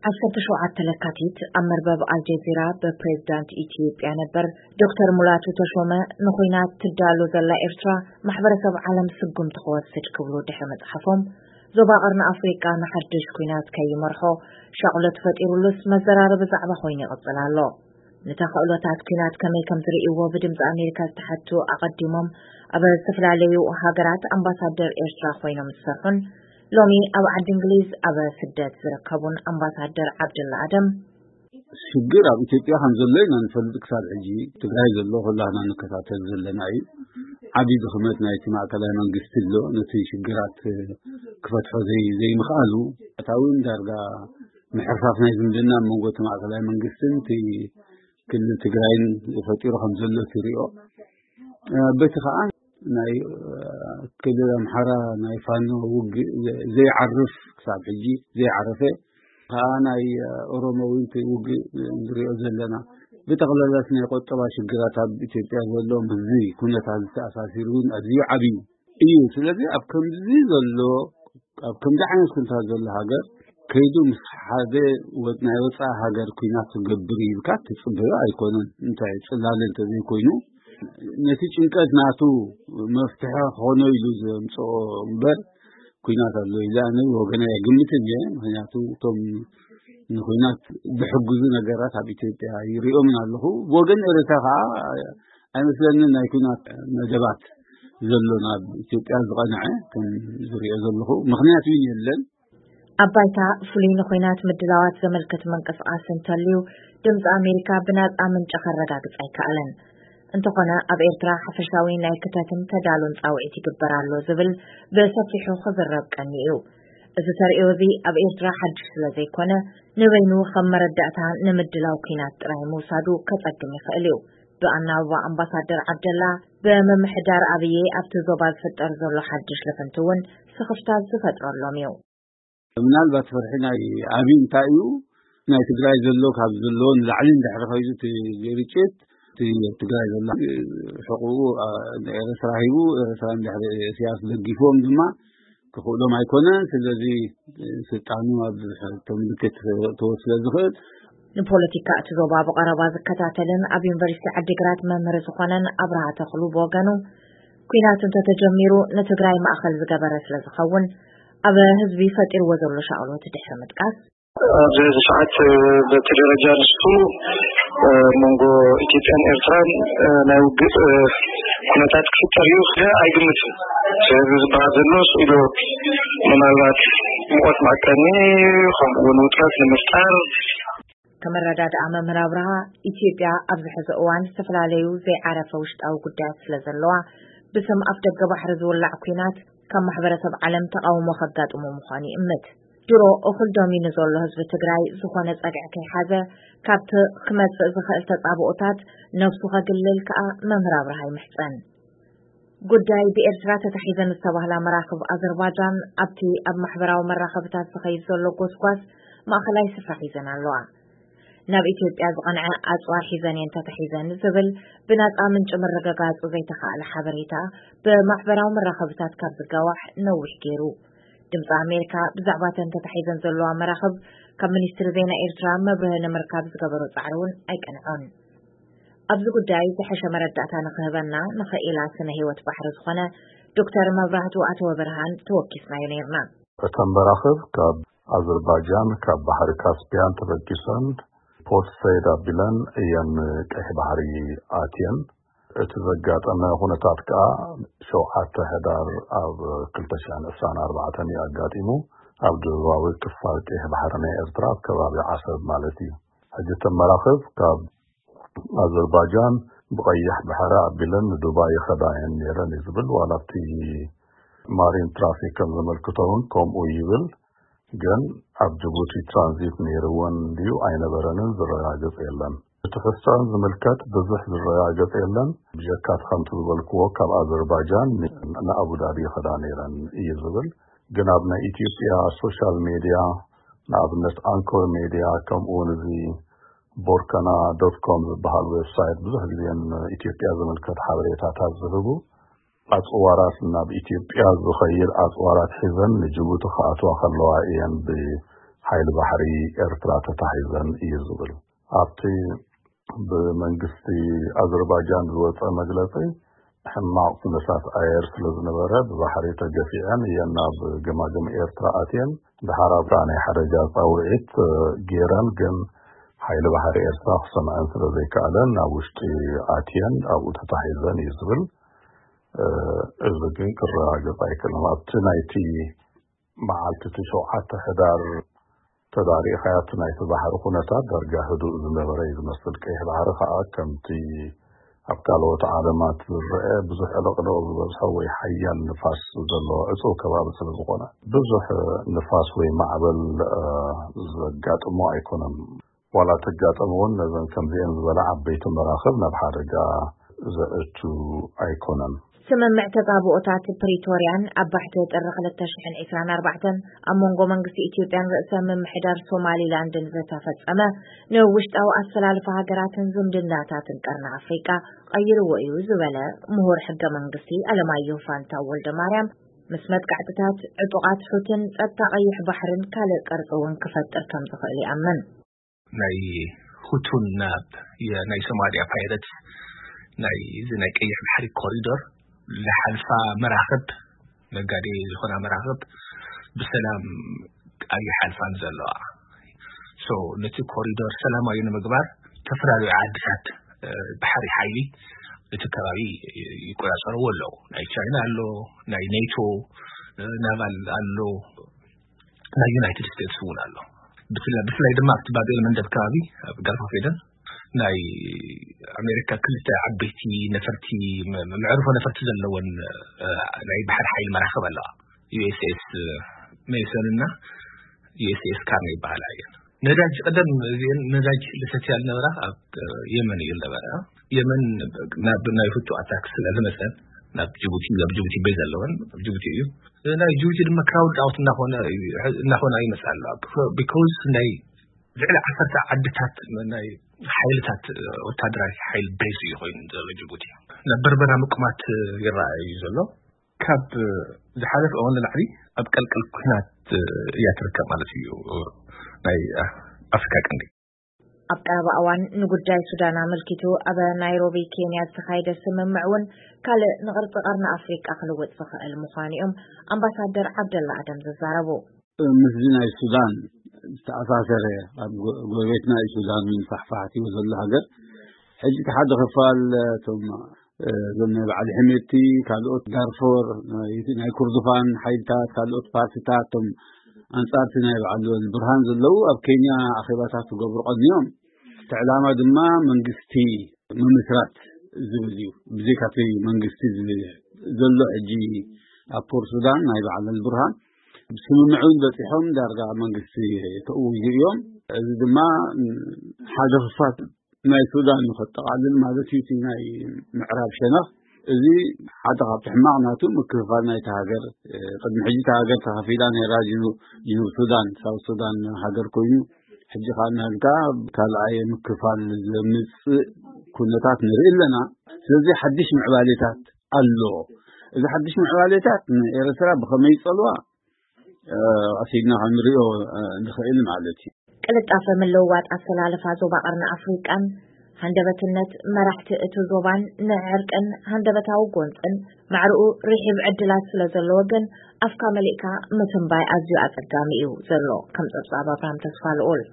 ዓሰርተ ሸውዓተ ለካቲት ኣብ መርበብ ኣልጀዚራ ብፕሬዝዳንት ኢትዮጵያ ነበር ዶክተር ሙላቱ ተሾመ ንኹናት ትዳሎ ዘላ ኤርትራ ማሕበረሰብ ዓለም ስጉምቲ ክወስድ ክብሉ ድሕሪ ምጽሓፎም፣ ዞባ ቀርኒ ኣፍሪቃ ንሓድሽ ኩናት ከይመርሖ ሻቕሎት ፈጢሩሉስ መዘራረቢ ዛዕባ ኮይኑ ይቕጽል ኣሎ። ንተኽእሎታት ኩናት ከመይ ከም ዝርእይዎ ብድምፂ ኣሜሪካ ዝተሓቱ ኣቐዲሞም ኣብ ዝተፈላለዩ ሃገራት ኣምባሳደር ኤርትራ ኮይኖም ዝሰርሑን ሎሚ ኣብ ዓዲ እንግሊዝ ኣብ ስደት ዝርከቡን ኣምባሳደር ዓብድላ ኣደም፣ ሽግር ኣብ ኢትዮጵያ ከም ዘሎ ኢና ንፈልጥ። ክሳብ ሕጂ ትግራይ ዘሎ ኩላህና ንከታተል ዘለና እዩ። ዓብዪ ድኽመት ናይቲ ማእከላይ መንግስቲ ኣሎ። ነቲ ሽግራት ክፈትሖ ዘይ ዘይምኽኣሉ ኣታውን ዳርጋ ምሕርፋፍ ናይ ዝምድና ኣብ መንጎ እቲ ማእከላይ መንግስትን እቲ ክልል ትግራይን ፈጢሩ ከም ዘሎ ትሪኦ። በቲ ከዓ ናይ ክልል ኣምሓራ ናይ ፋኖ ውግእ ዘይዓርፍ፣ ክሳብ ሕጂ ዘይዓረፈ ከዓ ናይ ኦሮሞ እውን እቲ ውግእ ንሪኦ ዘለና። ብጠቕላላት ናይ ቆጠባ ሽግራት ኣብ ኢትዮጵያ ዘሎ ምስዚ ኩነታት ዝተኣሳሲሩ እውን ኣዝዩ ዓብዩ እዩ። ስለዚ ኣብ ከምዚ ዘሎ ኣብ ከምዚ ዓይነት ኩነታት ዘሎ ሃገር ከይዱ ምስ ሓደ ወ- ናይ ወፃኢ ሃገር ኩናት ክገብር ኢልካ ትፅበዮ ኣይኮነን። እንታይ ፅላለ እንተዘይኮይኑ ነቲ ጭንቀት ናቱ መፍትሒ ክኾኖ ኢሉ ዘምፅኦ እምበር ኩናት ኣሎ ኢለ ኣነ ወገነ ኣይግምትን እየ። ምክንያቱ እቶም ንኩናት ዝሕግዙ ነገራት ኣብ ኢትዮጵያ ይሪኦምን ኣለኹ። ብወገን ኤርትራ ከዓ ኣይመስለንን ናይ ኩናት መደባት ዘሎ ናብ ኢትዮጵያ ዝቐንዐ ከም ዝሪኦ ዘለኹ ምኽንያት እውን የለን። ኣብ ባይታ ፍሉይ ንኹናት ምድላዋት ዘመልክት ምንቅስቃስ እንተልዩ ድምፂ ኣሜሪካ ብናፃ ምንጪ ከረጋግፅ ኣይከኣለን። እንተኾነ ኣብ ኤርትራ ሓፈሻዊ ናይ ክተትን ተዳሉን ፃውዒት ይግበር ኣሎ ዝብል ብሰፊሑ ክዝረብ ቀኒ እዩ። እዚ ተርእዮ እዚ ኣብ ኤርትራ ሓድሽ ስለ ዘይኮነ ንበይኑ ከም መረዳእታ ንምድላው ኩናት ጥራይ ምውሳዱ ከፀግም ይኽእል እዩ። ብኣናብባ ኣምባሳደር ዓብደላ ብምምሕዳር ኣብዬ ኣብቲ ዞባ ዝፍጠር ዘሎ ሓድሽ ልፍንቲ እውን ስኽፍታት ዝፈጥረሎም እዩ። ምናልባት ፍርሒ ናይ ኣብይ እንታይ እዩ? ናይ ትግራይ ዘሎ ካብ ዘለዎ ንላዕሊ እንድሕሪ ከይዱ እቲ ግጭት እቲ ትግራይ ዘላ ሕቁኡ ንኤርትራ ሂቡ ኤርትራ እንድሕሪ ኢሳያስ ደጊፎም ድማ ክኽእሎም ኣይኮነን። ስለዚ ስልጣኑ ኣብ ሕቶ ምልክት ክእትዎ ስለ ዝኽእል ንፖለቲካ እቲ ዞባ ብቐረባ ዝከታተልን ኣብ ዩኒቨርሲቲ ዓዲግራት መምህር ዝኾነን ኣብርሃ ተኽሉ ብወገኑ፣ ኩናት እንተተጀሚሩ ንትግራይ ማእኸል ዝገበረ ስለ ዝኸውን ኣብ ህዝቢ ፈጢርዎ ዘሎ ሻቕሎት ድሕሪ ምጥቃስ፣ ኣብዚ ሕዚ ሰዓት በቲ ደረጃ ንሱ መንጎ ኢትዮጵያን ኤርትራን ናይ ውግእ ኩነታት ክፍጠር እዩ ኢለ ኣይግምትን። ስለዚ ዝበሃል ዘሎ ስኢሉ ምናልባት ሙቐት መዐቀኒ ከምኡ እውን ውጥረት ንምፍጣር ከመረዳድኣ መምህር ኣብርሃ፣ ኢትዮጵያ ኣብዚ ሕዚ እዋን ዝተፈላለዩ ዘይዓረፈ ውሽጣዊ ጉዳያት ስለ ዘለዋ ብስም ኣፍ ደገ ባሕሪ ዝውላዕ ኩናት ካብ ማሕበረሰብ ዓለም ተቓውሞ ከጋጥሞ ምዃኑ ይእምት። ድሮ እኹል ደሚኑ ዘሎ ህዝቢ ትግራይ ዝኾነ ጸግዒ ከይሓዘ ካብቲ ክመጽእ ዝኽእል ተጻብኦታት ነብሱ ከግልል ከኣ መምህር ኣብርሃ ይምሕጸን። ጉዳይ ብኤርትራ ተታሒዘን ዝተባህላ መራኽብ ኣዘርባጃን ኣብቲ ኣብ ማሕበራዊ መራኸብታት ዝኸይድ ዘሎ ጎስጓስ ማእኸላይ ስፍራ ሒዘን ኣለዋ። ናብ ኢትዮጵያ ዝቐንዐ ኣጽዋር ሒዘን እየን ተታሒዘን ዝብል ብናጻ ምንጪ ምርግጋጹ ዘይተኻእለ ሓበሬታ ብማሕበራዊ መራኸብታት ካብ ዝጋዋሕ ነዊሕ ገይሩ። ድምፂ ኣሜሪካ ብዛዕባ እተን ተታሒዘን ዘለዋ መራኽብ ካብ ሚኒስትሪ ዜና ኤርትራ መብርሂ ንምርካብ ዝገበሮ ጻዕሪ እውን ኣይቀንዖን። ኣብዚ ጉዳይ ዝሐሸ መረዳእታ ንኽህበና ንኽኢላ ስነ ህይወት ባሕሪ ዝኾነ ዶክተር መብራህቱ ኣተወ ብርሃን ተወኪስናዮ ነይርና። እተን መራኽብ ካብ ኣዘርባጃን ካብ ባሕሪ ካስፒያን ተበጊሰን ፖርት ሰይድ ኣቢለን እየን ቀይሕ ባሕሪ ኣትየን። እቲ ዘጋጠመ ኩነታት ከኣ ሸውዓተ ሕዳር ኣብ ክልተ ሽሕን ዕስራን ኣርባዕተን እዩ ኣጋጢሙ። ኣብ ደቡባዊ ክፋል ቀይሕ ባሕሪ ናይ ኤርትራ ኣብ ከባቢ ዓሰብ ማለት እዩ። ሕጂ እተን መራኽብ ካብ ኣዘርባጃን ብቐይሕ ባሕሪ ኣቢለን ንዱባይ ይኸዳ እየን ነይረን እዩ ዝብል። ዋላ ኣብቲ ማሪን ትራፊክ ከም ዘመልክቶ እውን ከምኡ ይብል። ግን ኣብ ጅቡቲ ትራንዚት ነይርወን ድዩ ኣይነበረንን ዝረጋገጽ የለን። እቲ ሕሳን ዝምልከት ብዙሕ ዝረጋገጽ የለን። ብጀካ እቲ ከምቲ ዝበልክዎ ካብ ኣዘርባጃን ን- ንኣቡዳቢ ይኸዳ ነይረን እዩ ዝብል። ግን ኣብ ናይ ኢትዮጵያ ሶሻል ሜድያ ንኣብነት ኣንኮር ሜድያ ከምኡ እውን እዚ ቦርከና ዶት ኮም ዝበሃል ዌብሳይት ብዙሕ ግዜ ንኢትዮጵያ ዝምልከት ሓበሬታታት ዝህቡ ኣጽዋራት ናብ ኢትዮጵያ ዝኸይድ ኣጽዋራት ሒዘን ንጅቡቲ ክኣትዋ ከለዋ እየን ብ- ሓይሊ ባሕሪ ኤርትራ ተታሒዘን እዩ ዝብል። ኣብቲ ብመንግስቲ ኣዘርባጃን ዝወፀ መግለፂ፣ ሕማቕ ኩነታት ኣየር ስለ ዝነበረ ብባሕሪ ተገፊዐን እየን ናብ ገማግም ኤርትራ ኣትየን። ድሓር ኣብታ ናይ ሓደጋ ፃውዒት ገይረን፣ ግን ሓይሊ ባሕሪ ኤርትራ ክሰምዐን ስለ ዘይከኣለን ናብ ውሽጢ ኣትየን ኣብኡ ተታሒዘን እዩ ዝብል። እዚ ግን ክረጋገፅ ኣይክእልን። ኣብቲ ናይቲ መዓልቲ እቲ ሸውዓተ ሕዳር ተዳሪእኻያ፣ እቲ ናይቲ ባሕሪ ኩነታት ዳርጋ ህዱእ ዝነበረ እዩ ዝመስል። ቀይሕ ባሕሪ ከዓ ከምቲ ኣብ ካልኦት ዓለማት ዝረአ ብዙሕ ዕልቕልቕ ዝበዝሖ ወይ ሓያል ንፋስ ዘለዎ ዕፁው ከባቢ ስለ ዝኾነ፣ ብዙሕ ንፋስ ወይ ማዕበል ዘጋጥሞ ኣይኮነን። ዋላ ተጋጠሙ እውን፣ ነዘን ከምዚአን ዝበላ ዓበይቲ መራኽብ ናብ ሓደጋ ዘእቱ ኣይኮነን። ስምምዕ ተጻብኦታት ፕሪቶርያን ኣብ ባሕቲ ጥሪ ክልተ ሽሕን ዕስራን ኣርባዕተን ኣብ መንጎ መንግስቲ ኢትዮጵያን ርእሰ ምምሕዳር ሶማሊላንድን ዝተፈጸመ፣ ንውሽጣዊ ኣሰላልፋ ሃገራትን ዝምድናታትን ቀርኒ ኣፍሪቃ ቀይርዎ እዩ ዝበለ ምሁር ሕገ መንግስቲ ኣለማየሁ ፋንታው ወልደ ማርያም፣ ምስ መጥቃዕትታት ዕጡቓት ሑትን ጸጥታ ቀይሕ ባሕርን ካልእ ቅርጺ እውን ክፈጥር ከም ዝኽእል ይኣምን። ናይ ሁቱን ናብ ናይ ሶማሊያ ፓይረት ናይ እዚ ናይ ቀይሕ ባሕሪ ኮሪዶር ዝሓልፋ መራኽብ፣ ነጋዴ ዝኾና መራኽብ ብሰላም ኣይሓልፋን ዘለዋ። So ነቲ ኮሪዶር ሰላማዊ ንምግባር ዝተፈላለዩ ዓድታት ባሕሪ ሓይሊ እቲ ከባቢ ይቆጻጸርዎ ኣለዉ። ናይ ቻይና ኣሎ፣ ናይ ኔቶ ናቫል ኣሎ፣ ናይ ዩናይትድ ስቴትስ እውን ኣሎ። ብፍላይ ድማ ኣብቲ ባብ ኤል መንደብ ከባቢ፣ ኣብ ጋልፍ ኦፍ ኤደን፣ ናይ ኣሜሪካ ክልተ ዓበይቲ ነፈርቲ፣ መዕርፎ ነፈርቲ ዘለወን ናይ ባሕሪ ሓይሊ መራኽብ ኣለዋ። ዩ ኤስ ኤስ ሜይሰን እና ዩ ኤስ ኤስ ካርኒ ይበሃላ እየን። ነዳጅ ቀደም እዚአን ነዳጅ ልሰትያ ዝነበራ ኣብ የመን እዩ ዝነበረ። የመን ናብ ናይ ሁቱ ኣታክ ስለ ዝመፀን፣ ናብ ጅቡቲ፣ ኣብ ጅቡቲ ቤዝ ኣለወን፣ ኣብ ጅቡቲ እዩ። ናይ ጅቡቲ ድማ ክራውድ ኣውት እናኾነ እናኾነ ይመፅእ ኣሎ። ቢኮዝ ናይ ልዕሊ ዓሰርተ ዓድታት ናይ ሓይልታት፣ ወታደራዊ ሓይል ቤዝ እዩ ኮይኑ ዘሎ ጅቡቲ። ናብ በርበራ ምቁማት ይረኣይ እዩ ዘሎ። ካብ ዝሓለፈ እዋን ንላዕሊ ኣብ ቀልቀል ኩናት እያ ትርከብ ማለት እዩ ናይ ኣፍሪካ ቀንዲ። ኣብ ቀረባ እዋን ንጉዳይ ሱዳን ኣመልኪቱ ኣብ ናይሮቢ ኬንያ ዝተኻየደ ስምምዕ እውን ካልእ ንቕርፂ ቀርኒ ኣፍሪቃ ክልውጥ ዝኽእል ምዃኑ እዮም ኣምባሳደር ዓብደላ ኣደም ዝዛረቡ። ምስዚ ናይ ሱዳን ዝተኣሳሰረ፣ ኣብ ጎረቤትና እዩ ሱዳን ፋሕፋሕ ትብል ዘሎ ሃገር። ሕጂ እቲ ሓደ ክፋል እቶም እዞም ናይ በዓል ሕሜቲ፣ ካልኦት ዳርፎር፣ ናይ ኩርዱፋን ሓይልታት፣ ካልኦት ፓርቲታት፣ እቶም ኣንጻርቲ ናይ በዓል ብርሃን ዘለዉ ኣብ ኬንያ ኣኼባታት ክገብሩ ቀንዮም። እቲ ዕላማ ድማ መንግስቲ ምምስራት ዝብል እዩ። ብዘይካቲ መንግስቲ ዝብል ዘሎ ሕጂ ኣብ ፖርት ሱዳን ናይ በዓል ብርሃን ስምምዕ እውን በፂሖም ዳርጋ መንግስቲ ተእውዩ እዮም። እዚ ድማ ሓደ ክፋል ናይ ሱዳን ንኸጠቓልል ማለት እዩ። እቲ ናይ ምዕራብ ሸነኽ እዚ ሓደ ካብቲ ሕማቕ ናቱ ምክፍፋል ናይቲ ሃገር። ቅድሚ ሕጂ እታ ሃገር ተኸፊላ ነይራ። ጅኑብ ሱዳን፣ ሳውት ሱዳን ሃገር ኮይኑ፣ ሕጂ ከዓ እናልካ ካልኣይ ምክፋል ዘምፅእ ኩነታት ንርኢ ኣለና። ስለዚ ሓድሽ ምዕባሌታት ኣሎ። እዚ ሓድሽ ምዕባሌታት ንኤርትራ ብኸመይ ይፀልዋ ቀሲልና ክንሪኦ ንኽእል ማለት እዩ። ቅልጣፈ ምልውዋጥ ኣሰላልፋ ዞባ ቀርኒ ኣፍሪቃን ሃንደበትነት መራሕቲ እቲ ዞባን ንዕርቅን ሃንደበታዊ ጎንፅን ማዕርኡ ርሒብ ዕድላት ስለ ዘለዎ ግን ኣፍካ መሊእካ ምትንባይ ኣዝዩ ኣጸጋሚ እዩ ዘሎ። ከም ጸብጻብ ኣብርሃም ተስፋ ልኡል።